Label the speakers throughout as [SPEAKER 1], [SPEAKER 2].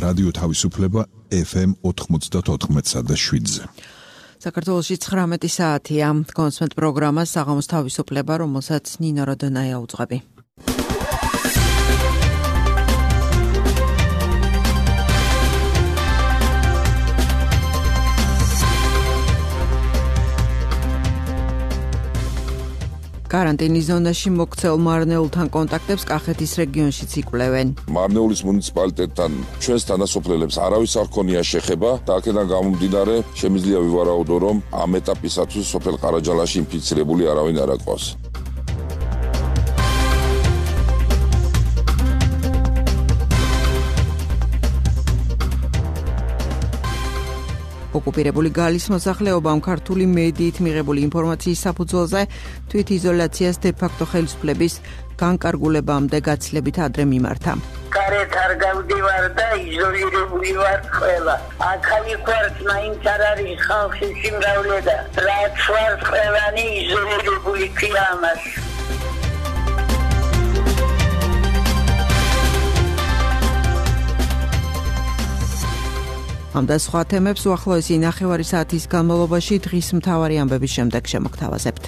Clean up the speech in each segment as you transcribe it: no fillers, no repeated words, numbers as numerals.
[SPEAKER 1] რადიო თავისუფლება FM 94.7-ზე.
[SPEAKER 2] საქართველოში 19 საათია. კონსმენტ პროგრამა საღამოს თავისუფლება, რომელსაც ნინო როდონაია უძღვები. კარანტინის ზონაში მოქცეულ მარნეულთან კონტაქტებს კახეთის რეგიონშიც იკვლევენ.
[SPEAKER 3] მარნეულის მუნიციპალიტეტთან ჩვენს თანასოფლელებს არავის არ ქონია შეხება და აქედან გამომდინარე შემიძლია ვივარაუდო, რომ ამ ეტაპისათვის სოფელ ყარაჯალაში ინფიცირებული არავინ არ აკვავს.
[SPEAKER 2] ოკუპირებული გალის მოსახლეობამ ქართული მედიით მიღებული ინფორმაციის საფუძველზე თვითიზოლაციას დე-ფაქტო ხელისუფლების განკარგულებამდე გაცილებით ადრე მიმართა.
[SPEAKER 4] გარეთ არ გავდივარ და იზოლირებული ვარ ყველა. აქ-იქ ვარ, მაინც არ არის ხალხის სიმრავლე და რაც ვარ ყველანი იზოლირებული ქვია ამას. ამ და სხვა თემებს უახლოესი 9 საათის განმავლობაში დღის მთავარი ამბების შემდეგ შემოგთავაზებთ.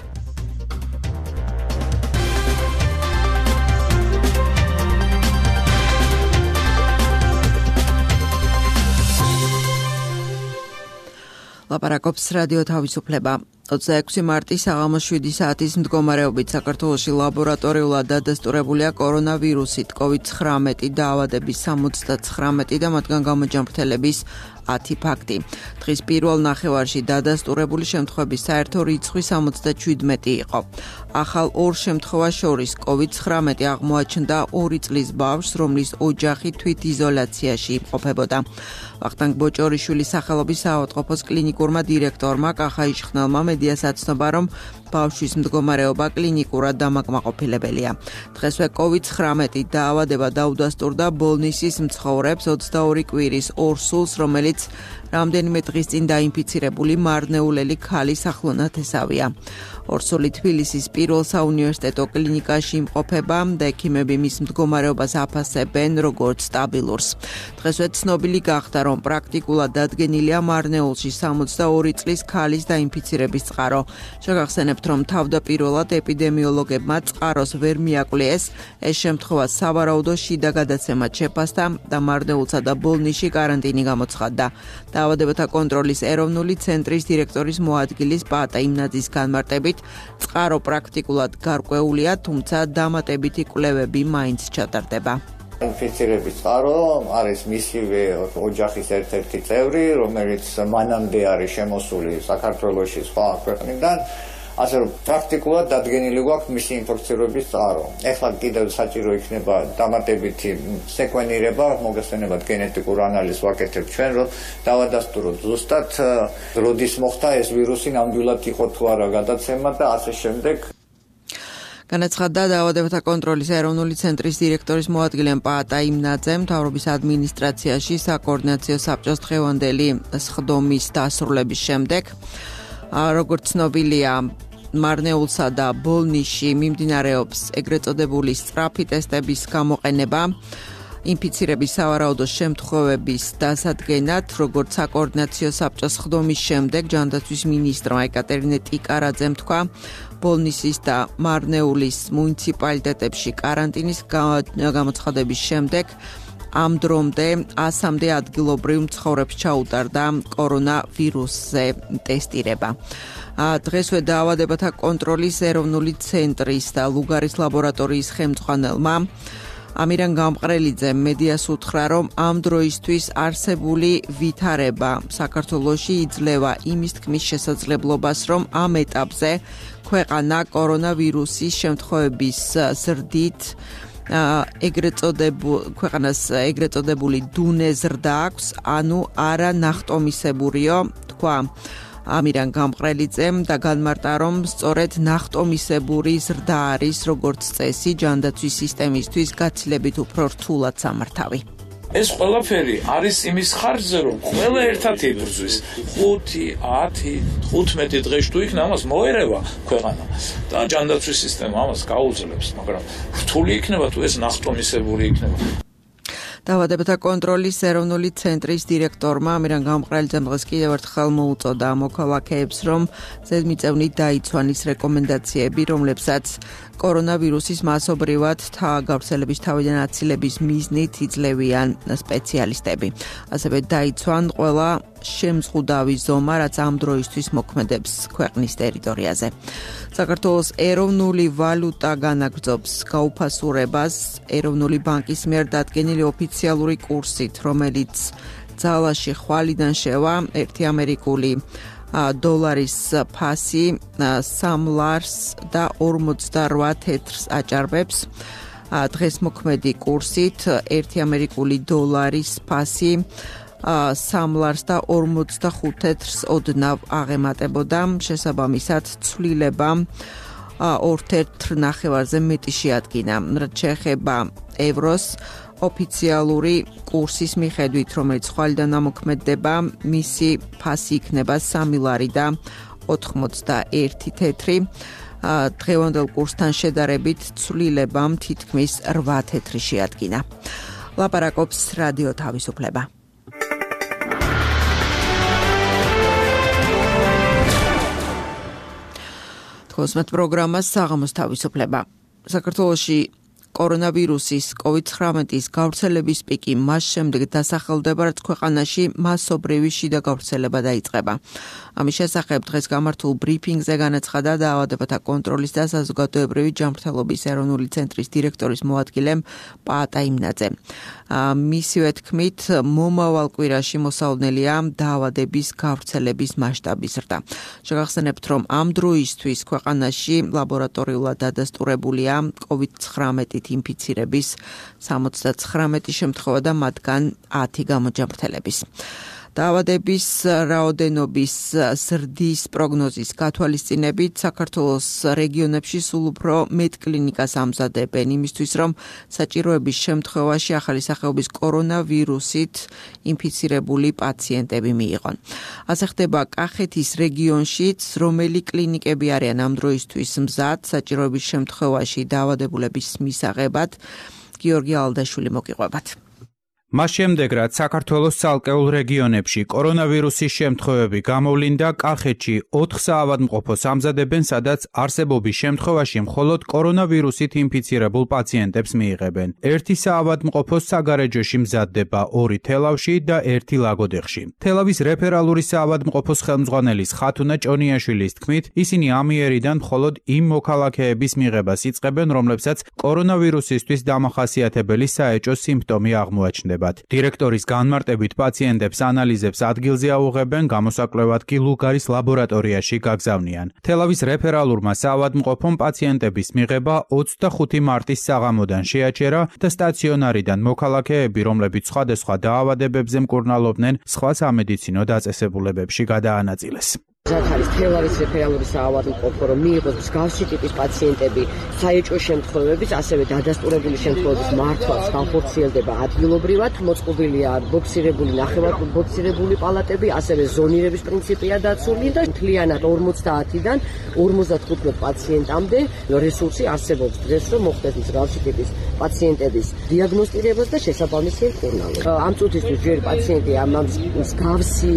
[SPEAKER 4] ლაპარაკობს რადიო თავისუფლება. 26 მარტის საღამოს 7 საათის მდგომარეობით საქართველოში ლაბორატორიულად დადასტურებულია კორონავირუსით COVID-19 დაავადების 79 და მათგან გამოჯანმრთელების 10 ფაქტი. დღის პირველ ნახევარში დადასტურებული შემთხვევების საერთო რიცხვი 77 იყო. ახალ ორ შემთხვევას შორის COVID-19 აღმოაჩნდა 2 წლის ბავშვს, რომლის ოჯახი თვითიზოლაციაში იმყოფებოდა. ვახტანგ ბოჭორიშვილის სახელობის საავადმყოფოს კლინიკურმა დირექტორმა კახა იშხნელმა მედიას აცნობა, რომ ბავშვის მდგომარეობა კლინიკურად დამაკმაყოფილებელია. დღესვე COVID-19 დაავადება დაუდასტურდა ბოლნისის მცხოვრებს 22 კვირის ორ სულს, რომელიც რამდენიმე დღის წინ დაინფიცირებული მარნეულელი ქალის ახლონათესავია. ორსული თბილისის პირველ საუნივერსიტეტო კლინიკაში იმყოფება და ექიმები მის მდგომარეობას აფასებენ როგორც სტაბილურს. დღესვე ცნობილი გახდა, რომ პრაქტიკულად დადგენილია მარნეულში 62 წლის ქალის დაინფიცირების წყარო. შეგახსენებთ, რომ თავდაპირველად ეპიდემიოლოგებმა წყაროს ვერ მიაკვლიეს, ეს შემთხვევა სავარაუდო შიდა გადაცემად შეფასდა და მარნეულსა და ბოლნისში კარანტინი გამოცხადდა. დაავადებათა კონტროლის ეროვნული ცენტრის დირექტორის მოადგილის პაატა იმნაძის განმარტებით, წყარო პრაქტიკულად გარკვეულია, თუმცა დამატებითი კვლევები მაინც ჩატარდება.
[SPEAKER 5] ინფიცირების წყარო არის მისივე ოჯახის ერთ-ერთი წევრი, რომელიც მანამდე არის შემოსული საქართველოში სხვა ქვეყნიდან. ასე რომ პრაქტიკულად დადგენილი გვაქვს მისი ინფექცირების წყარო. ეხლა კიდევ საჭირო იქნება დამატებითი სეკვენირება, მოგესწრებათ გენეტიკურ ანალიზს ვაკეთებთ ჩვენ, რომ დავადასტუროთ ზუსტად როდის მოხდა ეს ვირუსი, ნამდვილად იყო თუ არა გადაცემა და ასე შემდეგ.
[SPEAKER 2] განაცხადა დაავადებათა კონტროლის ეროვნული ცენტრის დირექტორის მოადგილე პაატა იმნაძე მთავრობის ადმინისტრაციაში საკოორდინაციო საბჭოს დღევანდელი სხდომის დასრულების შემდეგ. როგორც ცნობილია, მარნეულსა და ბოლნისში მიმდინარეობს ეგრეთ წოდებული სწრაფი ტესტების გამოყენება. ინფიცირების სავარაუდო შემთხვევების დასადგენად, როგორც საკოორდინაციო საბჭოს სხდომის შემდეგ ჯანდაცვის მინისტრმა ეკატერინე ტიკარაძემ თქვა, ბოლნისის და მარნეულის მუნიციპალიტეტებში კარანტინის გამოცხადების შემდეგ ამ დრომდე 100-მდე ადგილობრივ მცხოვრებს ჩაუტარდა კორონავირუსზე ტესტირება. დღესვე დაავადებათა კონტროლის ეროვნული ცენტრის და ლუგარის ლაბორატორიის ხელმძღვანელმა ამირან გამყრელიძემ მედიას უთხრა, რომ ამ დროისთვის არსებული ვითარება საქართველოში იძლევა იმის თქმის შესაძლებლობას, რომ ამ ეტაპზე ქვეყანა კორონავირუსის შემთხვევების ზრდით ქვეყანას ეგრეთ წოდებული დუნე ზრდა აქვს, ანუ არა ნახტომისებურიო, თქვა ამირან გამყრელიძემ და განმარტა, რომ სწორედ ნახტომისებური ზრდა არის როგორც წესი ჯანდაცვის სისტემისთვის გაცილებით უფრო რთულად სამართავი.
[SPEAKER 6] ეს ყველაფერი არის იმის ხარჯზე, რომ ყველა ერთად იბრძვის 5, 10, 15 დღეში თუ იქნა ამას მოერევა ქვეყანა და ჯანდაცვის სისტემა ამას გაუძლებს, მაგრამ რთული იქნება თუ ეს ნახტომისებური იქნება.
[SPEAKER 2] დაავადებათა კონტროლის ეროვნული ცენტრის დირექტორმა ამირან გამყრელიძემ დღეს კიდევ ერთხელ მოუწოდა მოქალაქეებს, რომ ზედმიწევნით დაიცვან ის რეკომენდაციები, რომლებსაც კორონავირუსის მასობრივად გავრცელების თავიდან აცილების მიზნით იძლევიან სპეციალისტები. ასევე დაიცვან ყველა შემზღუდავი ზომა, რაც ამ დროისთვის მოქმედებს ქვეყნის ტერიტორიაზე. საქართველოს ეროვნული ვალუტა განაგრძობს გაუფასურებას ეროვნული ბანკის მიერ დადგენილი ოფიციალური კურსით, რომელიც ძალაში ხვალიდან შევა 1 ამერიკული დოლარის ფასი 3 ლარს და 48 თეთრს აჭარბებს. დღეს მოქმედი კურსით 1 ამერიკული დოლარის ფასი 3 ლარს და 45 თეთრს ოდნავ აღემატებოდა. შესაბამისად ცვლილება 2 თეთრ ნახევარზე მეტი შეადგინა. რაც შეეხება ევროს ოფიციალური კურსის მიხედვით, რომელიც ხვალიდან ამოქმედდება, მისი ფასი იქნება 3 ლარი და 81 თეთრი. დღევანდელ კურსთან შედარებით ცვლილებამ თითქმის 8 თეთრი შეადგინა. ლაპარაკობს რადიო თავისუფლება. კოსმეტ პროგრამა საღამოს თავისუფლება. საქართველოში კორონავირუსის COVID-19-ის გავრცელების პიკი მას შემდეგ დასახელდება, რაც ქვეყანაში მასობრივი შიდა გავრცელება დაიწყება. ამის შესახებ დღეს გამართულ ბრიფინგზე განაცხადა დაავადებათა კონტროლის და საზოგადოებრივი ჯანმრთელობის ეროვნული ცენტრის დირექტორის მოადგილე პაატა იმნაძე. მისივე თქმით, მომავალ კვირაში მოსალოდნელია დაავადების გავრცელების მასშტაბის ზრდა. შეგახსენებთ, რომ ამ დროისთვის ქვეყანაში ლაბორატორიულად დადასტურებულია COVID-19 ინფიცირების 79 შემთხვევა და მათგან 10 გამოჯანმრთელების. დაავადების რაოდენობის ზრდის პროგნოზის გათვალისწინებით საქართველოს რეგიონებში სულ უფრო მეტ კლინიკას ამზადებენ იმისთვის, რომ საჭიროების შემთხვევაში ახალი სახეობის კორონავირუსით ინფიცირებული პაციენტები მიიღონ. ასე ხდება კახეთის რეგიონშიც, რომელი კლინიკები არიან ამ დროისთვის მზად საჭიროების შემთხვევაში დაავადებულების მისაღებად. გიორგი ალდაშვილი მოგიყვებათ.
[SPEAKER 7] მას შემდეგ, რაც საქართველოს ცალკეულ რეგიონებში კორონავირუსის შემთხვევები გამოვლინდა, კახეთში 4 საავადმყოფოს ამზადებენ, სადაც არსებობის შემთხვევაში მხოლოდ კორონავირუსით ინფიცირებულ პაციენტებს მიიღებენ. 1 საავადმყოფოს საგარეჯოში მზადდება 2 თელავში და 1 ლაგოდეხში. თელავის რეფერალური საავადმყოფოს ხელმძღვანელის ხათუნა ჭონიაშვილის თქმით, ისინი ამიერიდან მხოლოდ იმ მოქალაქეების მიღებას იწყებენ, რომლებსაც კორონავირუსისთვის დამახასიათებელი საეჭვო სიმპტომი აღმოაჩნდება. დირექტორის განმარტებით პაციენტებს ანალიზებს ადგილზე აუღებენ, გამოსაკვლევად კი ლუგარის ლაბორატორიაში გაგზავნიან. თელავის რეფერალურმა საავადმყოფომ პაციენტების მიღება 25 მარტის საღამოდან შეაჩერა და სტაციონარიდან მოქალაქეები, რომლებიც სხვადასხვა დაავადებებზე მკურნალობდნენ, სხვა სამედიცინო დაწესებულებებში გადაანაწილეს.
[SPEAKER 8] არის თელავის რეფერალური საავადმყოფო, რომ მიიღოს მსგავსი ტიპის პაციენტები საეჭვო შემთხვევების, ასევე დადასტურებული შემთხვევების მართვაც განხორციელდება ადგილობრივად, მოწყობილია ბოქსირებული, ნახევარბოქსირებული პალატები, ასევე ზონირების პრინციპია დაცული და მთლიანად 50-დან 55 პაციენტამდე რესურსი არსებობს დღეს, რომ მოხდეს მსგავსი ტიპის პაციენტების დიაგნოსტირებას და შესაბამისი მკურნალობა. ამ წუთისთვის ჯერ პაციენტი ამ მსგავსი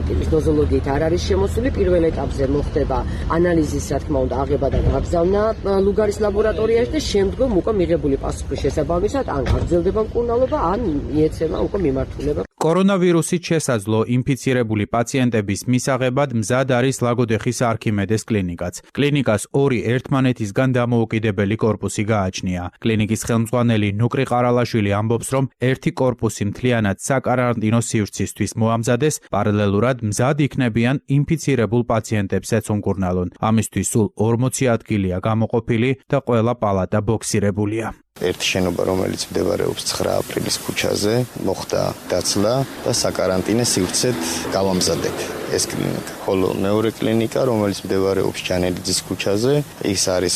[SPEAKER 8] ტიპის ნოზოლოგიით არ არის შემოსული. პირველ ეტაპზე მოხდება ანალიზის, რა თქმა უნდა, აღება და გაგზავნა ლუგარის ლაბორატორიაში და შემდგომ უკვე მიღებული პასუხის შესაბამისად ან გაგრძელდება მკურნალობა, ან მიეცემა უკვე მიმართულება.
[SPEAKER 7] კორონავირუსით შესაძლო ინფიცირებული პაციენტების მისაღებად მზად არის ლაგოდეხის არქიმედეს კლინიკაც. კლინიკას 2 ერთმანეთისგან დამოუკიდებელი კორპუსი გააჩნია. კლინიკის ხელმძღვანელი ნუკრი ყარალაშვილი ამბობს, რომ ერთი კორპუსი მთლიანად საკარანტინო სივრცისთვის მოამზადეს, პარალელურად მზად იქნებიან ინფიცირებულ პაციენტებსაც უმკურნალონ. ამისთვის სულ 40 ადგილია გამოყოფილი და ყველა პალატა ბოქსირებულია.
[SPEAKER 9] ერთი შენობა, რომელიც მდებარეობს 9 აპრილის ქუჩაზე, მოხდა დაცლა და საკარანტინე სივრცედ გავამზადეთ ეს კლინიკა. ხოლო მეორე კლინიკა, რომელიც მდებარეობს ჯანელიძის ქუჩაზე, ის არის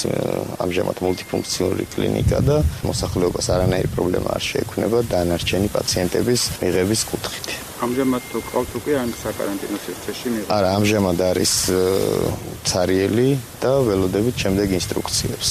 [SPEAKER 9] ამჟამად მულტიფუნქციონალური კლინიკა და მოსახლეობას არანაირი პრობლემა არ შეექმნება დანარჩენი პაციენტების მიღების კუთხით.
[SPEAKER 10] ამჟამად თუ ყავთ უკვე ამ საკარანტინო სივრცეში მიღება?
[SPEAKER 9] არა, ამჟამად არის ცარიელი და ველოდებით შემდეგ ინსტრუქციებს.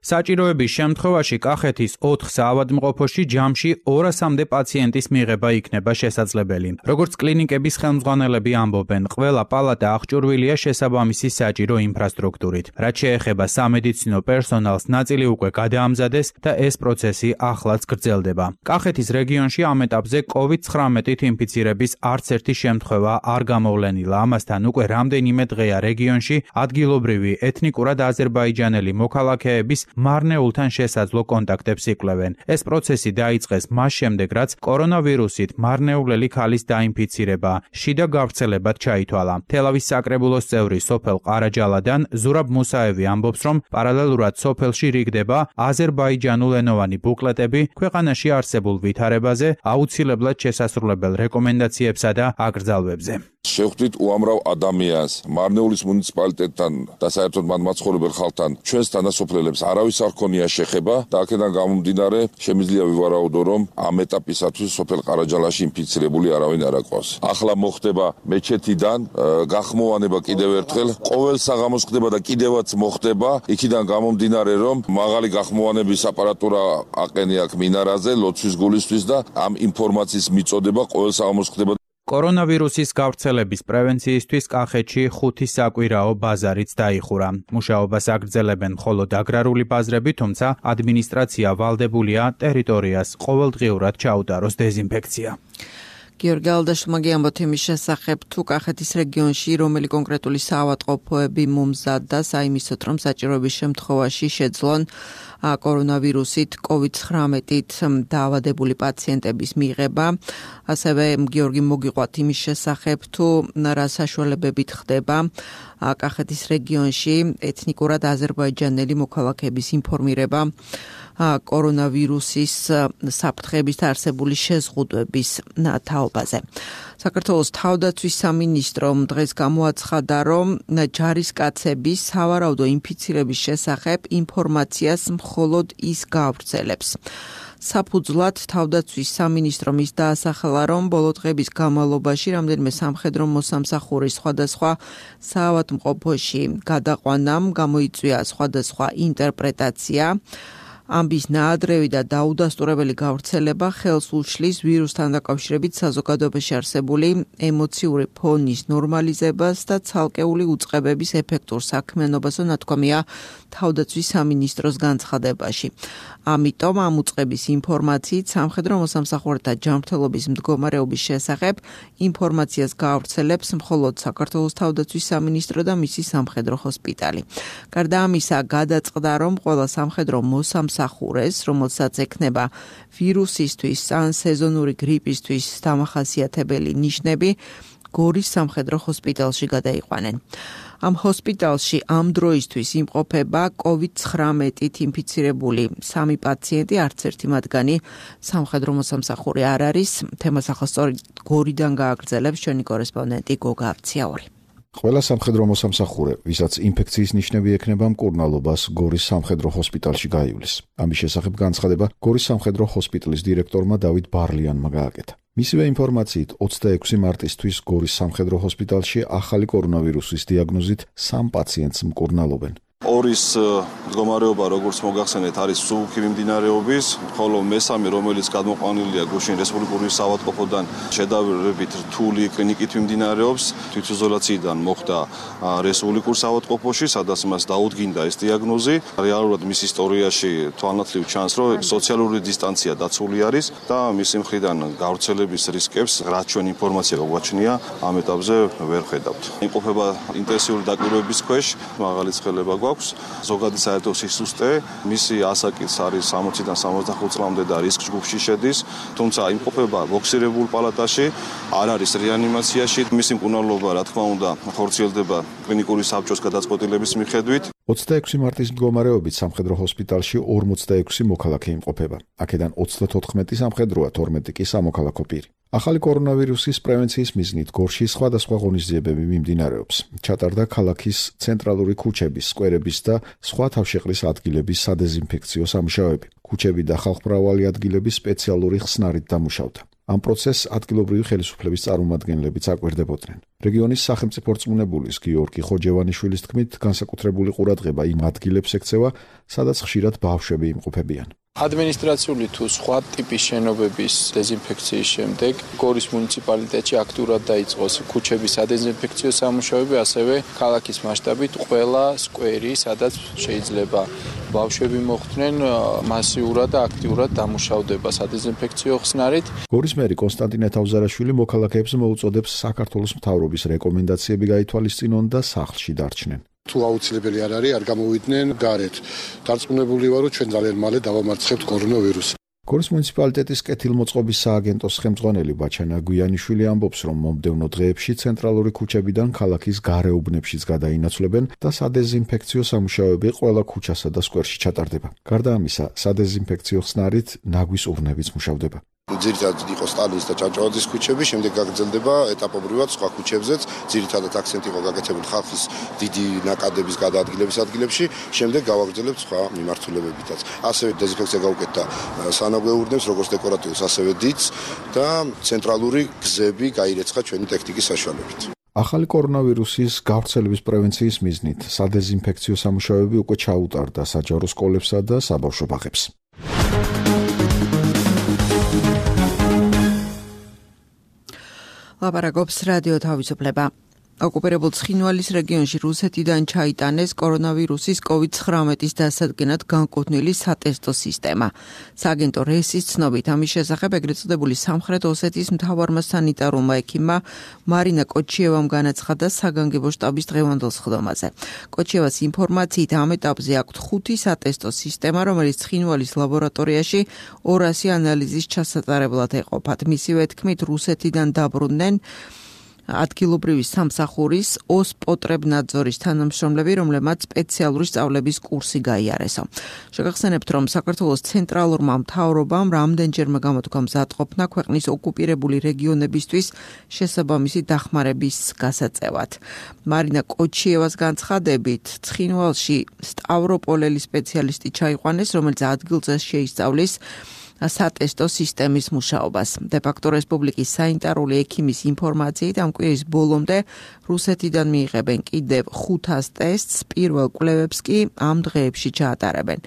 [SPEAKER 7] საჭიროების შემთხვევაში კახეთის 4 საავადმყოფოში ჯამში 200-მდე პაციენტის მიღება იქნება შესაძლებელი. როგორც კლინიკების ხელმძღვანელები ამბობენ, ყველა პალატა აღჭურვილია შესაბამისი საჭირო ინფრასტრუქტურით. რაც შეეხება სამედიცინო პერსონალს, ნაწილი უკვე გადაამზადეს და ეს პროცესი ახლაც გრძელდება. კახეთის რეგიონში ამ ეტაპზე COVID-19-ით ინფიცირების არც ერთი შემთხვევა არ გამოვლენილა. ამასთან უკვე რამდენიმე დღეა რეგიონში ადგილობრივი ეთნიკურად აზერბაიჯანელი მოქალაქეების მარნეულთან შესაძლო კონტაქტებს იკვლევენ. ეს პროცესი დაიწყეს მას შემდეგ, რაც კორონავირუსით მარნეულელი ქალის დაინფიცირება შიდა გავრცელებად ჩაითვალა. თელავის საკრებულოს წევრი სოფელ ყარაჯალადან ზურაბ მუსაევი ამბობს, რომ პარალელურად სოფელში რიგდება აზერბაიჯანულენოვანი ბუკლეტები ქვეყანაში არსებულ ვითარებაზე, აუცილებლად შესასრულებელ რეკომენდაციებსა და აკრძალვებზე.
[SPEAKER 3] შევხვდით უამრავ ადამიანს მარნეულის მუნიციპალიტეტთან და საერთოდ მათ მაცხოვრებელ ხალხთან ჩვენს თანასოფლელებს არავის არ ქონია შეხება და აქედან გამომდინარე შემიძლია ვივარაუდო, რომ ამ ეტაპისათვის სოფელ ყარაჯალაში ინფიცირებული არავინ არ აყვავს. ახლა მოხდება მეჩეთიდან გახმოვანება კიდევ ერთხელ, ყოველ საღამოს ხდება და კიდევაც მოხდება, იქიდან გამომდინარე, რომ მაღალი გახმოვანების აპარატურა აყენია აქ მინარაზე ლოცვის გულისთვის და ამ ინფორმაციის მიწოდება ყოველ საღამოს ხდება.
[SPEAKER 7] კორონავირუსის გავრცელების პრევენციისთვის კახეთში 5 საკვირაო ბაზარიც დაიხურა. მუშაობას აგრძელებენ მხოლოდ აგრარული ბაზრები, თუმცა ადმინისტრაცია ვალდებულია ტერიტორიას ყოველდღიურად ჩაუტაროს დეზინფექცია.
[SPEAKER 2] გიორგი ალდაშვილმა გიამბოთ იმის შესახებ, თუ კახეთის რეგიონში რომელი კონკრეტული საავადმყოფოები მომზადდა საიმისოდ, რომ საჭიროების შემთხვევაში შეძლონ კორონავირუსით COVID-19-ით დაავადებული პაციენტების მიღება. ასევე გიორგი მოგიყვათ იმის შესახებ, თუ რა საშუალებებით ხდება კახეთის რეგიონში ეთნიკურად აზერბაიჯანელი მოქალაქეების ინფორმირება კორონავირუსის საფრთხების არსებული შეზღუდვების თაობაზე. საქართველოს თავდაცვის სამინისტრომ დღეს გამოაცხადა, რომ ჯარისკაცები სავარაუდო ინფიცირების შესახებ ინფორმაციას მხოლოდ ის გაავრცელებს. საფუძვლად თავდაცვის სამინისტრომ ის დაასახელა, რომ ბოლო დღების განმავლობაში რამდენიმე სამხედრო მოსამსახურის სხვადასხვა საავადმყოფოში გადაყვანამ გამოიწვია სხვადასხვა ინტერპრეტაცია. ამბის ნაადრევი და დაუდასტურებელი გავრცელება ხელს უშლის ვირუსთან დაკავშირებით საზოგადოებაში არსებული ემოციური ფონის ნორმალიზებას და ცალკეული უწყებების ეფექტურ საქმიანობასო ნათქვამია თავდაცვის სამინისტროს განცხადებაში. ამიტომ ამ უწყების ინფორმაციით სამხედრო მოსამსახურეთა ჯანმრთელობის მდგომარეობის შესახებ ინფორმაციას გაავრცელებს მხოლოდ საქართველოს თავდაცვის სამინისტრო და მისი სამხედრო ჰოსპიტალი. გარდა ამისა, გადაწყდა, რომ ყველა სამხედრო მოსამსახურეს, რომელსაც ექნება ვირუსისთვის ან სეზონური გრიპისთვის დამახასიათებელი ნიშნები, გორის სამხედრო ჰოსპიტალში გადაიყვანენ. ამ ჰოსპიტალში ამ დროისთვის იმყოფება COVID-19-ით ინფიცირებული 3 პაციენტი, არც ერთი მათგანი სამხედრო მოსამსახური არ არის. თემას ახლა სწორედ გორიდან გააგრძელებს ჩვენი კორესპონდენტი გოგა აბციაური.
[SPEAKER 11] ყველა სამხედრო მოსამსახურე, ვისაც ინფექციის ნიშნები ექნება, მკურნალობას გორის სამხედრო ჰოსპიტალში გაივლის. ამის შესახებ განცხადება გორის სამხედრო ჰოსპიტალის დირექტორმა დავით ბარლიანმა გააკეთა. მისივე ინფორმაციით 26 მარტისთვის გორის სამხედრო ჰოსპიტალში ახალი კორონავირუსის დიაგნოზით 3 პაციენტს მკურნალობენ.
[SPEAKER 12] ორის მდგომარეობა, როგორც მოგახსენეთ, არის მსუბუქი მიმდინარეობის, ხოლო მესამე, რომელიც გადმოყვანილია გუშინ რესპუბლიკური საავადმყოფოდან შედარებით რთული კლინიკით მიმდინარეობს, თვითიზოლაციიდან მოხდა რესპუბლიკურ საავადმყოფოში, სადაც მას დაუდგინდა ეს დიაგნოზი. რეალურად მის ისტორიაში თვალნათლივ ჩანს, რომ სოციალური დისტანცია დაცული არის და მისი მხრიდან გავრცელების რისკებს, რაც ჩვენ ინფორმაცია გვაჩნია, ამ ეტაპზე ვერ ხედავთ. იმყოფება ინტენსიური დაკვირვების ქვეშ, მაღალი ცხელება გვაქვს. ზოგადი საერთო სისუსტე, მისი ასაკიც არის 60-დან 65 წლამდე და რისკ ჯგუფში შედის, თუმცა იმყოფება ბოქსირებულ პალატაში, არ არის რეანიმაციაში. მისი მკურნალობა, რა თქმა უნდა, ხორციელდება კლინიკური საბჭოს გადაწყვეტილების მიხედვით.
[SPEAKER 11] 26 მარტის მდგომარეობით სამხედრო ჰოსპიტალში 46 მოქალაქე იმყოფება. აქედან 34 სამხედროა, 12 კი სამოქალაქო პირი. ახალი კორონავირუსის პრევენციის მიზნით გორში სხვადასხვა ღონისძიებები მიმდინარეობს. ჩატარდა ქალაქის ცენტრალური ქუჩების, სკვერების და სხვა თავშეყრის ადგილების სადეზინფექციო სამუშაოები. ქუჩები და ხალხმრავალი ადგილები სპეციალური ხსნარით დამუშავდა. ამ პროცესს ადგილობრივი ხელისუფლების წარმომადგენლებიც აკვირდებოდნენ. რეგიონის სახელმწიფო რწმუნებულის გიორგი ხოჯევანიშვილის თქმით, განსაკუთრებული ყურადღება იმ ადგილებს ექცევა, სადაც ხშირად ბავშვები იმყოფებიან.
[SPEAKER 13] ადმინისტრაციული თუ სხვა ტიპის შენობების დეზინფექციის შემდეგ გორის მუნიციპალიტეტში აქტიურად დაიწყოს ქუჩების სადეზინფექციო სამუშაოები, ასევე ქალაქის მასშტაბით ყველა სკვერი, სადაც შეიძლება ბავშვები მოხვდნენ, მასიურად და აქტიურად დამუშავდება სადეზინფექციო ხსნარით.
[SPEAKER 11] გორის მერი კონსტანტინე თავზარაშვილი მოქალაქეებს მოუწოდებს საქართველოს მთავრობის რეკომენდაციები გაითვალისწინონ და სახლში დარჩნენ.
[SPEAKER 14] თუ აუცილებელი არ არის, არ გამოვიდნენ გარეთ. დარწმუნებული ვარ, რომ ჩვენ ძალიან მალე დავამარცხებთ კორონავირუსს. გორის მუნიციპალიტეტის კეთილმოწყობის სააგენტოს ხელმძღვანელი ბაჩანა გვიანიშვილი ამბობს, რომ მომდევნო დღეებში ცენტრალური ქუჩებიდან ქალაქის გარეუბნებშიც გადაინაცვლებენ და სადეზინფექციო სამუშაოები ყველა ქუჩასა და სკვერში ჩატარდება. გარდა ამისა, სადეზინფექციო ხსნარით ნაგვის ურნებიც მუშავდება.
[SPEAKER 15] ძირითადად იყო სტალინის და ჭავჭავაძის ქუჩები, შემდეგ გაგრძელდება ეტაპობრივად სხვა ქუჩებზეც, ძირითადად აქცენტი იყო გაკეთებული ხალხის დიდი ნაკადების გადაადგილების ადგილებში, შემდეგ გავაგრძელებთ სხვა მიმართულებებითაც. ასევე დეზინფექცია გავუკეთდა სანაგვეურნებს, როგორც დეკორატიულს, ასევე დიდს და ცენტრალური გზები გაირეცხა ჩვენი ტექნიკის საშუალებით.
[SPEAKER 11] ახალი კორონავირუსის გავრცელების პრევენციის მიზნით სადეზინფექციო სამუშაოები უკვე ჩაუტარდა საჯარო სკოლებსა და საბავშვო ბაღებს.
[SPEAKER 2] ლაპარაკობს რადიო თავისუფლება. ოკუპირებულ ცხინვალის რეგიონში რუსეთიდან ჩაიტანეს კორონავირუსის COVID-19-ის დასადგენად განკუთვნილი სატესტო სისტემა. სააგენტო რესის ცნობით, ამის შესახებ ეგრეთ წოდებული სამხრეთ ოსეთის მთავარმა სანიტარულმა ექიმმა მარინა კოჩიევამ განაცხადა საგანგებო შტაბის დღევანდელ სხდომაზე. კოჩიევას ინფორმაციით ამ ეტაპზე აქვთ 5 სატესტო სისტემა, რომელიც ცხინვალის ლაბორატორიაში 200 ანალიზის ჩასატარებლად ეყოფათ. მისივე თქმით, რუსეთიდან დაბრუნდნენ ადგილობრივი სამსახურის ოსპოტრებნაძორის თანამშრომლები, რომლებმაც სპეციალური სწავლების კურსი გაიარესო. შეგახსენებთ, რომ საქართველოს ცენტრალურმა მთავრობამ რამდენჯერმე გამოთქვა მზადყოფნა ქვეყნის ოკუპირებული რეგიონებისთვის შესაბამისი დახმარების გასაწევად. მარინა კოჩიევას განცხადებით, ცხინვალში სტავროპოლელი სპეციალისტი ჩაიყვანეს, რომელიც ადგილზე შეისწავლის სატესტო სისტემის მუშაობას. დე-ფაქტო რესპუბლიკის სანიტარული ექიმის ინფორმაციით, ამ კვირის ბოლომდე რუსეთიდან მიიღებენ კიდევ 500 ტესტს, პირველ კვლევებს კი ამ დღეებში ჩაატარებენ.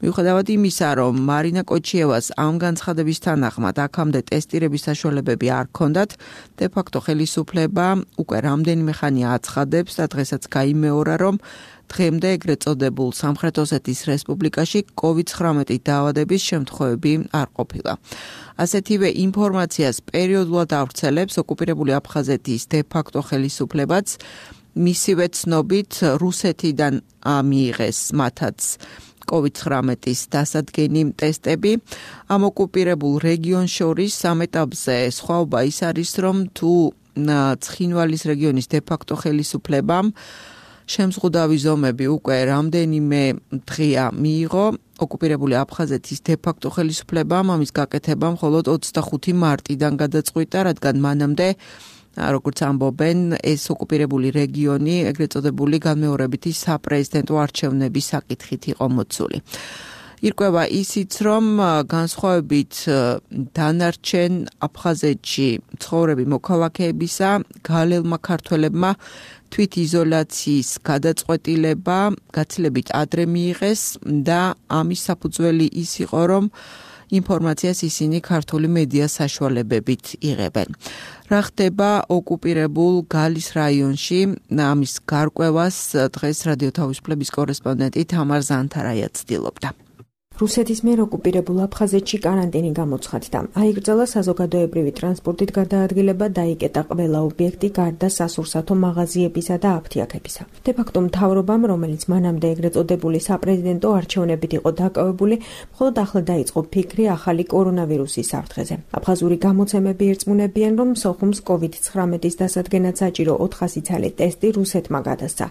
[SPEAKER 2] მიუხედავად იმისა, რომ მარინა კოჩიევას ამ განცხადების თანახმად აქამდე ტესტირების საშუალებები არ ჰქონდათ, დე-ფაქტო ხელისუფლება უკვე რამდენიმე ხანია აცხადებს და დღესაც გაიმეორა, რომ დღემდე ეგრეთ წოდებულ სამხრეთ ოსეთის რესპუბლიკაში COVID-19 დაავადების შემთხვევები არ ყოფილა. ასეთივე ინფორმაციას პერიოდულად ავრცელებს ოკუპირებული აფხაზეთის დე-ფაქტო ხელისუფლებაც, მისივე ცნობით რუსეთიდან მიიღეს მათაც COVID-19-ის დასადგენი ტესტები. ამ ოკუპირებულ რეგიონს შორის ამ ეტაპზე სხვაობა ის არის, რომ თუ ცხინვალის რეგიონის დე-ფაქტო ხელისუფლებამ შემზღუდავი ზომები უკვე რამდენიმე დღეა მიიღო, ოკუპირებული აფხაზეთის დე-ფაქტო ხელისუფლებამ ამის გაკეთება მხოლოდ 25 მარტიდან გადაწყვიტა, რადგან მანამდე, როგორც ამბობენ, ეს ოკუპირებული რეგიონი ეგრეთ წოდებული განმეორებითი საპრეზიდენტო არჩევნების საკითხით იყო მოცული. ირკვევა ისიც, რომ განსხვავებით დანარჩენ აფხაზეთში ცხოვრები მოქალაქეებისა, გალელმა ქართველებმა თვით იზოლაციის გადაწყვეტილება გაცილებით ადრე მიიღეს და ამის საფუძველი ის იყო, რომ ინფორმაციას ისინი ქართული მედია საშუალებებით იღებენ. რა ხდება ოკუპირებულ გალის რაიონში, ამის გარკვევას დღეს რადიო თავისუფლების კორესპონდენტი თამარ ზანთარაია ცდილობდა.
[SPEAKER 16] რუსეთის მიერ ოკუპირებულ აფხაზეთში კარანტინი გამოცხადდა. აიკრძალა საზოგადოებრივი ტრანსპორტით გადაადგილება, დაიკეტა ყველა ობიექტი გარდა სასურსათო მაღაზიებისა და აფთიაქებისა. დე-ფაქტო მთავრობამ, რომელიც მანამდე ეგრეთ წოდებული საპრეზიდენტო არჩევნებით იყო დაკავებული, მხოლოდ ახლა დაიწყო ფიქრი ახალი კორონავირუსის საფრთხეზე. აფხაზური გამოცემები ერწმუნებიან, რომ სოხუმს COVID-19-ის დასადგენად საჭირო 400 ცალი ტესტი რუსეთმა გადასცა.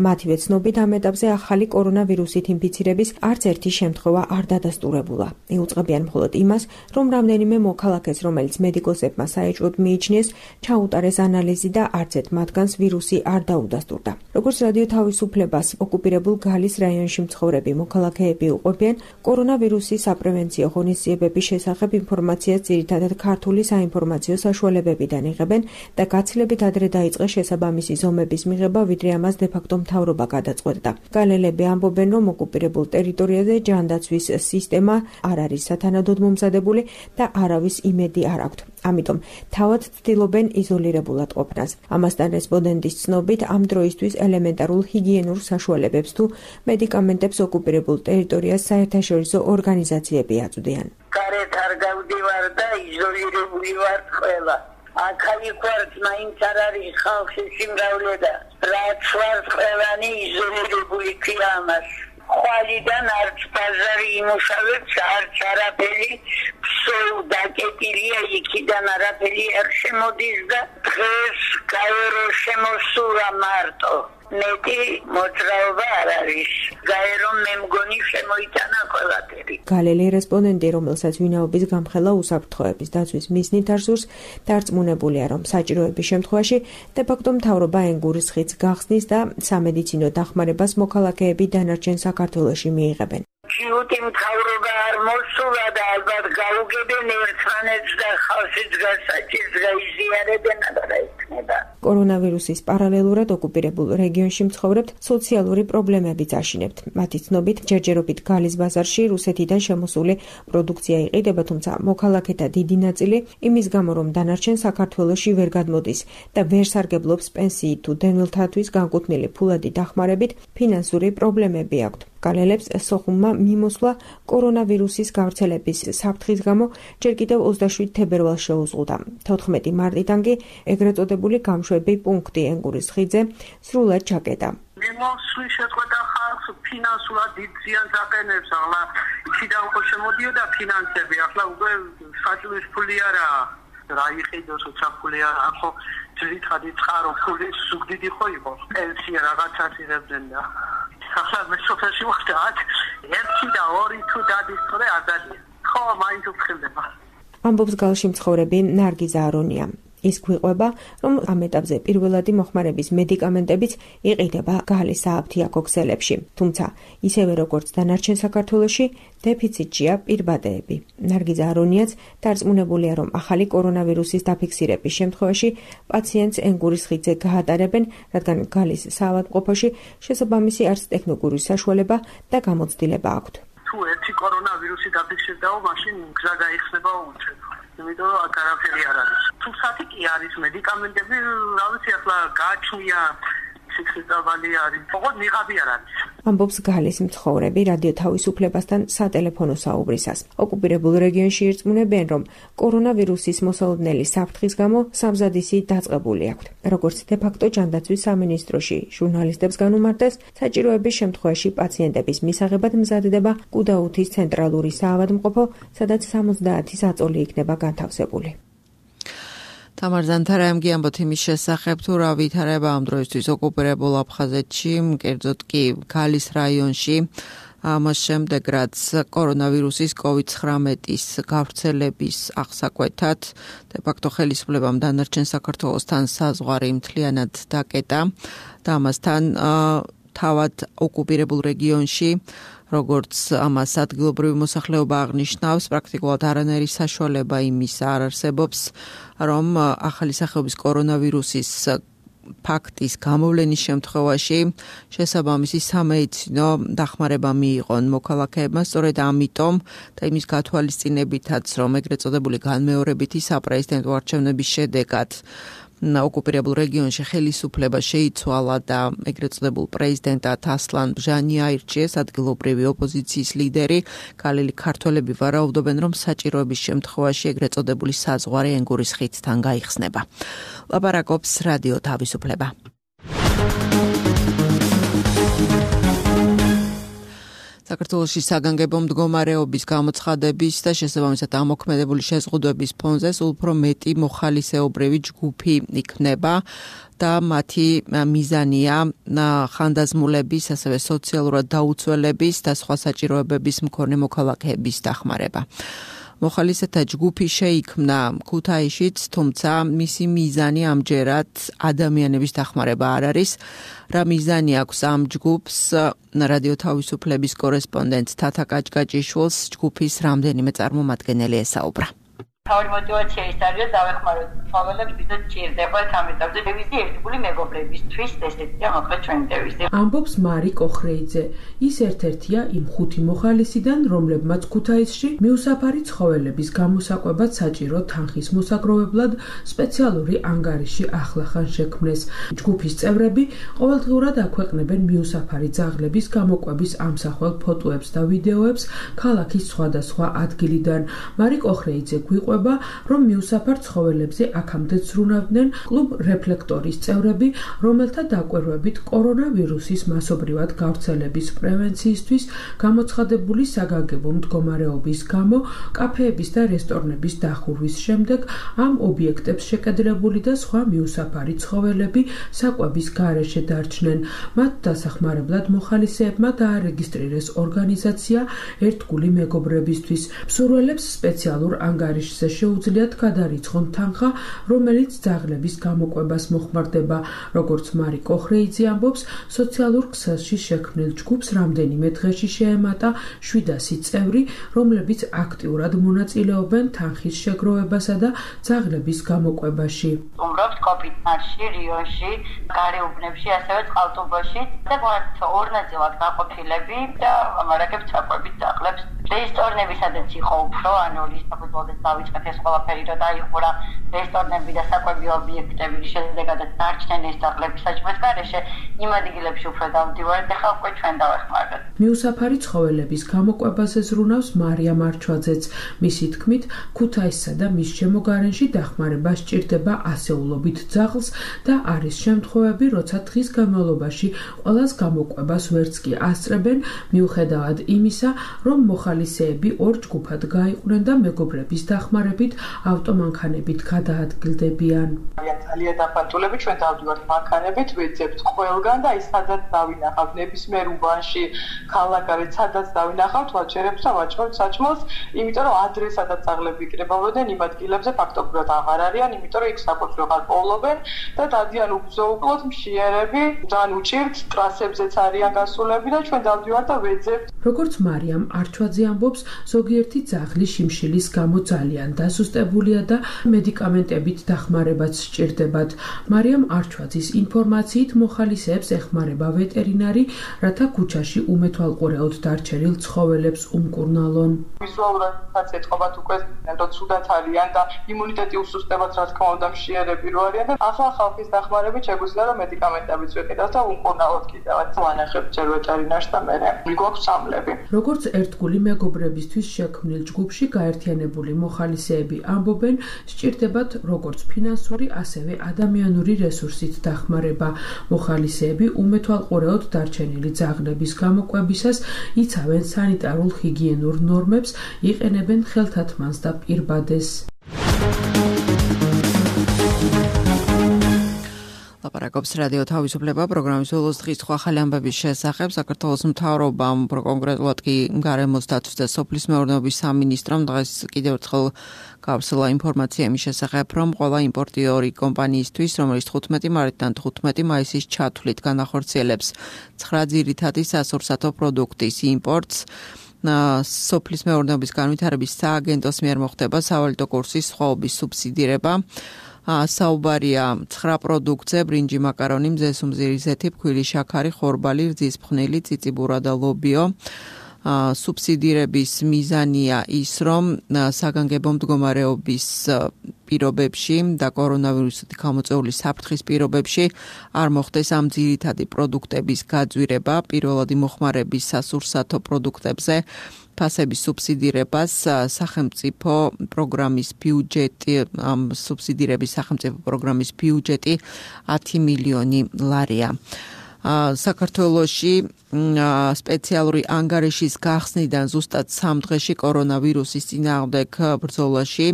[SPEAKER 16] მათივე ცნობით, ამ ეტაპზე ახალი კორონავირუსით ინფიცირების არც ერთი შემთხვევა არ დადასტურებულა. იუწყებიან მხოლოდ იმას, რომ რამდენიმე მოქალაქეს, რომელიც მედიკოსებმა საეჭვოდ მიიჩნიეს, ჩაუტარეს ანალიზი და არც ერთ მათგანს ვირუსი არ დაუდასტურდა. როგორც რადიო თავისუფლებას ოკუპირებულ გალის რაიონში მცხოვრები მოქალაქეები უყვებიან, კორონავირუსის საპრევენციო ღონისძიებების შესახებ ინფორმაციას ძირითადად ქართული საინფორმაციო საშუალებებიდან იღებენ და გაცილებით ადრე დაიწყეს შესაბამისი ზომების მიღება, ვიდრე ამას დე-ფაქტო მთავრობა გადაწყვეტდა. გალელები ამბობენ, რომ ოკუპირებულ ტერიტორიაზე ჯანდაცვის სისტემა არ არის სათანადოდ მომზადებული და არავის იმედი არ აქვთ. ამიტომ თავად ცდილობენ იზოლირებულად ყოფნას. ამასთან რესპონდენტის ცნობით, ამ დროისთვის ელემენტარულ ჰიგიენურ საშუალებებს თუ მედიკამენტებს ოკუპირებულ ტერიტორიას საერთაშორისო ორგანიზაციები აწვდიან.
[SPEAKER 17] გარეთ არ გავდივარ და იზოლირებული ვარ ყველა. აქ-იქ ვართ, მაინც არ არის ხალხი სიმრავლე, რაც ვართ ყველანი იზოლირებული ქვია ამას. ხვალიდან არც ბაზარი იმუშავებს, არც არაფერი სულ დაკეტილია, იქიდან არაფერი არ შემოდის და დღეს გაერო შემოსულა მარტო. მეტი მოძრაობა არ არის. გაერო მე მგონი შემოიტანა ყველაფერი.
[SPEAKER 16] გალელი რესპონდენტი, რომელსაც ვინაობის გამხელა უსაფრთხოების დაცვის მიზნით არსურს, დარწმუნებულია, რომ საჭიროების შემთხვევაში დე-ფაქტო მთავრობა ენგურის ხიდს გახსნის და სამედიცინო დახმარებას მოქალაქეები დანარჩენ საქართველოში მიიღებენ.
[SPEAKER 17] ჩიუტი მთავრობა არ მოსულა და ალბათ გაუგებენ ერთმანეთს და ხალხის გასაჭირს გაიზიარებენ და იქნება.
[SPEAKER 16] კორონავირუსის პარალელურად ოკუპირებულ რეგიონში მცხოვრებთ სოციალური პრობლემებიც აშინებთ. მათი ცნობით, ჯერჯერობით გალის ბაზარში რუსეთიდან შემოსული პროდუქცია იყიდება, თუმცა მოქალაქეთა დიდი ნაწილი იმის გამო, რომ დანარჩენ საქართველოში ვერ გადმოდის და ვერ სარგებლობს პენსიით თუ დევნილთათვის განკუთვნილი ფულადი დახმარებით, ფინანსური პრობლემები აქვთ. გალელებს სოხუმმა მიმოსვლა კორონავირუსის გავრცელების საფრთხის გამო ჯერ კიდევ 27 თებერვალს შეუზღუდა. 14 მარტიდან კი ეგრეთ წოდებული გამშვები პუნქტი ენგურის ხიდზე სრულად ჩაკეტა.
[SPEAKER 17] მიმოსვლის შეწყვეტა ხალხს ფინანსურად დიდ ზიანს აყენებს, ახლა იქიდან ხო შემოდიოდა ფინანსები, ახლა უკვე საჭმლის ფული არაა. რა იყიდოს საფული არა, ხო ძირითადი წყარო ფული სუგდიდი ხო იყო. პენსია რაღაცას იღებდნენ და ახლა მე სოფელში ვხდათ, 1 და 2 თუ დადისწორე აზალია. ხო, მაინც უხდება.
[SPEAKER 16] ამბობს გალში მცხოვრები ნარგიზა არონია. ის გვიყვება, რომ ამ ეტაპზე პირველადი მოხმარების მედიკამენტებიც იყიდება გალის სააფთიაქო ქსელებში. თუმცა, ისევე როგორც დანარჩენ საქართველოში, დეფიციტია პირბადეები. ნარგიზა არონიაც დარწმუნებულია, რომ ახალი კორონავირუსის დაფიქსირების შემთხვევაში პაციენტს ენგურის ხიდზე გაატარებენ, რადგან გალის საავადმყოფოში შესაბამისი არც ტექნიკური საშუალება და გამოცდილება აქვთ.
[SPEAKER 17] თუ ერთი კორონავირუსი დაფიქსირდაო, მაშინ გზა გაიხსნება უწევ. იმიტომ რომ არაფერი არ არის. თუ სათი კი არის მედიკამენტები, რა ვიცი, ახლა გააჩნია სიცხეწავალი არის. ოღონდ ნიღაბი არ არის.
[SPEAKER 16] ამბობს გალის მცხოვრები რადიო თავისუფლებასთან სატელეფონო საუბრისას. ოკუპირებულ რეგიონში ირწმუნებენ, რომ კორონავირუსის მოსალოდნელი საფრთხის გამო სამზადისი დაწყებული აქვთ. როგორც დე-ფაქტო ჯანდაცვის სამინისტროში ჟურნალისტებს განუმარტეს, საჭიროების შემთხვევაში პაციენტების მისაღებად მზადდება კუდაუთის ცენტრალური საავადმყოფო, სადაც 70 საწოლი იქნება განთავსებული.
[SPEAKER 2] თამარ ზანთარაემგი ამბობთ იმის შესახებ, თუ რა ვითარება ამ დროისთვის ოკუპირებულ აფხაზეთში, კერძოდ კი გალის რაიონში, ამას შემდეგ რაც კორონავირუსის COVID-19-ის გავრცელების აღსაკვეთად დე-ფაქტო ხელისუფლებამ დანარჩენ საქართველოსთან საზღვარი მთლიანად დაკეტა და ამასთან თავად ოკუპირებულ რეგიონში როგორც ამას ადგილობრივი მოსახლეობა აღნიშნავს, პრაქტიკულად არანაირი საშუალება იმის არ არსებობს, რომ ახალი სახეობის კორონავირუსის ფაქტის გამოვლენის შემთხვევაში შესაბამისი სამედიცინო დახმარება მიიღონ მოქალაქეებმა. სწორედ ამიტომ და იმის გათვალისწინებითაც, რომ ეგრეთ წოდებული განმეორებითი საპრეზიდენტო არჩევნების შედეგად ოკუპირებულ რეგიონში ხელისუფლება შეიცვალა და ეგრეთ წოდებულ პრეზიდენტად ასლან ბჟანი აირჩიეს, ადგილობრივი ოპოზიციის ლიდერი. გალელი ქართველები ვარაუდობენ, რომ საჭიროების შემთხვევაში ეგრეთ წოდებული საზღვარი ენგურის ხიდთან გაიხსნება. ლაპარაკობს რადიო თავისუფლება. საქართველოში საგანგებო მდგომარეობის გამოცხადების და შესაბამისად ამოქმედებული შეზღუდვების ფონზე სულ უფრო მეტი მოხალისეობრივი ჯგუფი იქნება და მათი მიზანია ხანდაზმულების, ასევე სოციალურად დაუცველების და სხვა საჭიროებების მქონე მოქალაქეების დახმარება. მოხალისეთა ჯგუფი შეიქმნა ქუთაისშიც, თუმცა მისი მიზანი ამჯერად ადამიანების დახმარება არ არის. რა მიზანი აქვს ამ ჯგუფს? რადიო თავისუფლების კორესპონდენტ თათა კაჭკაჭიშვილს ჯგუფის რამდენიმე წარმომადგენელი ესაუბრა.
[SPEAKER 18] თავი мотивация ის არის, რომ დავეხმაროთ ცხოველებს, ვიდრე ჭირდებათ ამ ეტაპზე დევიზი ერთგული მეგობრებისთვის, ესეთია მოკლედ ჩვენი დევიზი.
[SPEAKER 19] ამბობს მარი კოხრეიძე. ის ერთ-ერთია იმ 5 მოხალისიდან, რომლებმაც ქუთაისში მიუსაფარი ცხოველების გამოსაკვებად საჭირო თანხის მოსაგროვებლად სპეციალური ანგარიში ახლახან შექმნეს. ჯგუფის წევრები ყოველდღურად აქვეყნებენ მიუსაფარი ძაღლების გამოკვების ამსახველ ფოტოებს და ვიდეოებს ქალაქის სხვადასხვა ადგილიდან. მარი კოხრეიძე გვიყვება, რომ მიუსაფარ ცხოველებზე აქამდე ზრუნავდნენ კლუბ რეფლექტორის წევრები, რომელთა დაკვირვებით კორონავირუსის მასობრივად გავრცელების პრევენციისთვის გამოცხადებული საგანგებო მდგომარეობის გამო კაფეების და რესტორნების დახურვის შემდეგ ამ ობიექტებს შეკედრებული და სხვა მიუსაფარი ცხოველები საკვების გარეშე დარჩნენ. მათ დასახმარებლად მოხალისეებმა დაარეგისტრირეს ორგანიზაცია ერთგული მეგობრებისთვის. მსურველებს სპეციალურ ანგარიშზე შეუძლიათ გადარიცხონ თანხა, რომელიც ძაღლების გამოკვებას მოხმარდება. როგორც მარი კოხრეიძე ამბობს, სოციალურ ქსელში შექმნილ ჯგუფს რამდენიმე დღეში შეემატა 700 წევრი, რომლებიც აქტიურად მონაწილეობენ თანხის შეგროვებასა და ძაღლების გამოკვებაში.
[SPEAKER 18] უმრავლოდ კოპიტნარში, რიონში, გარეუბნებში, ასევე წყალტუბოში და ორ ნაწილად გაყოფილები და ამარაგებს საკვებით ძაღლებს. რესტორნები სადაც იყო უფრო, ანუ რისაბუდლოდეს დავიწყეთ ეს ყველაფერი, რომ დაიხურა რესტორნები და საკვები ობიექტები, შედეგადაც დარჩნენ ეს ძაღლები საჭმლის გარეშე, იმ ადგილებში უფრო დავდივართ და ხალხი ჩვენ დავეხმაროთ.
[SPEAKER 19] მიუსაფარი ცხოველების გამოკვებაზე ზრუნავს მარია მარჩვაძეც. მისი თქმით, ქუთაისსა და მის შემოგარენში დახმარება სჭირდება ასეულობით ძაღლს და არის შემთხვევები, როცა დღის განმავლობაში ყველას გამოკვებას ვერც კი ასწრებენ, მიუხედავად იმისა, რომ მოხალისეები ორ ჯგუფად გაიყვნენ და მეგობრების დახმარებით ავტომანქანებით გადაადგილდებიან.
[SPEAKER 20] ძალიან დაფანტულები ჩვენ დავდივართ მანქანებით, ვეძებთ ყველგან და ის სადაც დავინახავთ ნებისმიერ უბანში, ქალაქგარეთ სადაც დავინახავთ, ვაჩერებთ და ვაჭრობთ საჭმელს, იმიტომ რომ ადრესადაც ძაღლები იქნებოდნენ იმ ადგილებზე ფაქტობრივად აღარ არიან, იმიტომ რომ იქ საკვებს ვეღარ პოულობენ და დადიან უგზო-უკლოდ მშიერები, ძალიან უჭირთ, ტრასებზეც არიან გასულები და ჩვენ დავდივართ და ვეძებთ.
[SPEAKER 19] როგორც მარიამ არჩვაძე ამბობს, ზოგიერთი ძაღლი შიმშილის გამო ძალიან დასუსტებულია და მედიკამენტებით დახმარებაც სჭირდებათ. მარიამ არჩვაძის ინფორმაციით მოხალისეებს ეხმარება ვეტერინარი, რათა ქუჩაში უმეთვალყურეოდ დარჩენილ ცხოველებს უმკურნალონ.
[SPEAKER 20] ვიზუალურადაც ეთყობათ უკვე, რომ ცუდად არიან და იმუნიტეტი უსუსტებათ, რა თქმა უნდა, მშიერები რო არიან და ახლა ხალხის დახმარებით შეგვიძლია რომ მედიკამენტებიც ვეკიდათ და უმკურნალოთ კიდევაც. ვანახებთ ჯერ ვეტერინარს და მე მიგვაქვს სამლები.
[SPEAKER 19] როგორც ერთგული მეგობრებისთვის შექმნილ ჯგუფში გაერთიანებული მოხალისეები ამბობენ, სჭირდებათ როგორც ფინანსური, ასევე ადამიანური რესურსით დახმარება. მოხალისეები უმეთვალყურეოდ დარჩენილი ძაღლების გამოკვებისას იცავენ სანიტარულ ჰიგიენურ ნორმებს, იყენებენ ხელთათმანს და პირბადეს.
[SPEAKER 2] ლაპარაკობს რადიო თავისუფლება პროგრამის ბოლოს დღის ახალი ამბების შესახებ. საქართველოს მთავრობამ, კონკრეტულად კი გარემოს დაცვის და სოფლის მეურნეობის სამინისტრომ დღეს კიდევ ერთხელ გავრცელა ინფორმაცია იმის შესახებ, რომ ყველა იმპორტიორი კომპანიისთვის, რომელიც 15 მარტიდან 15 მაისის ჩათვლით განახორციელებს 9 ძირითადი სასურსათო პროდუქტის იმპორტს, სოფლის მეურნეობის განვითარების სააგენტოს მიერ მოხდება სავალიდო კურსის სხვაობის სუბსიდირება. საუბარია 9 პროდუქტზე: ბრინჯი, მაკარონი, მზესუმზირი, ზეთი, ფქვილი, შაქარი, ხორბალი, რძის ფხნილი, ციციბურა და ლობიო. სუბსიდირების მიზანია ის, რომ საგანგებო მდგომარეობის პირობებში და კორონავირუსით გამოწვეული საფრთხის პირობებში არ მოხდეს ამ ძირითადი პროდუქტების გაძვირება. პირველადი მოხმარების სასურსათო პროდუქტებზე ფასების სუბსიდირებას სახელმწიფო პროგრამის ბიუჯეტი, ამ სუბსიდირების სახელმწიფო პროგრამის ბიუჯეტი 10 მილიონი ლარია. საქართველოში სპეციალური ანგარიშის გახსნიდან ზუსტად 3 დღეში კორონავირუსის წინააღმდეგ ბრძოლაში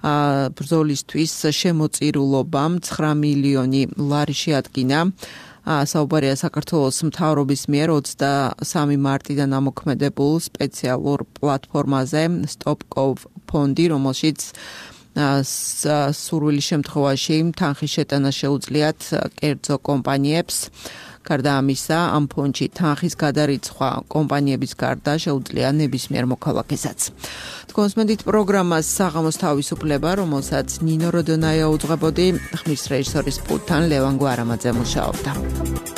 [SPEAKER 2] ბრძოლისთვის შემოწირულობამ 9 მილიონი ლარი შეადგინა. საუბარია საქართველოს მთავრობის მიერ 23 მარტიდან ამოქმედებულ სპეციალურ პლატფორმაზე Stop-Gov ფონდი, რომელშიც სურვილის შემთხვევაში თანხის შეტანა შეუძლიათ კერძო კომპანიებს. გარდა ამისა, ამ ფონდში თანხის გადარიცხვა კომპანიების გარდა შეუძლია ნებისმიერ მოქალაქესაც. თქვენსმენდით პროგრამას საღამოს თავისუფლება, რომელსაც ნინო როდონაია უძღვებოდი, ხმის რეჟისორის პულტთან ლევან გვარამაძე მუშაობდა.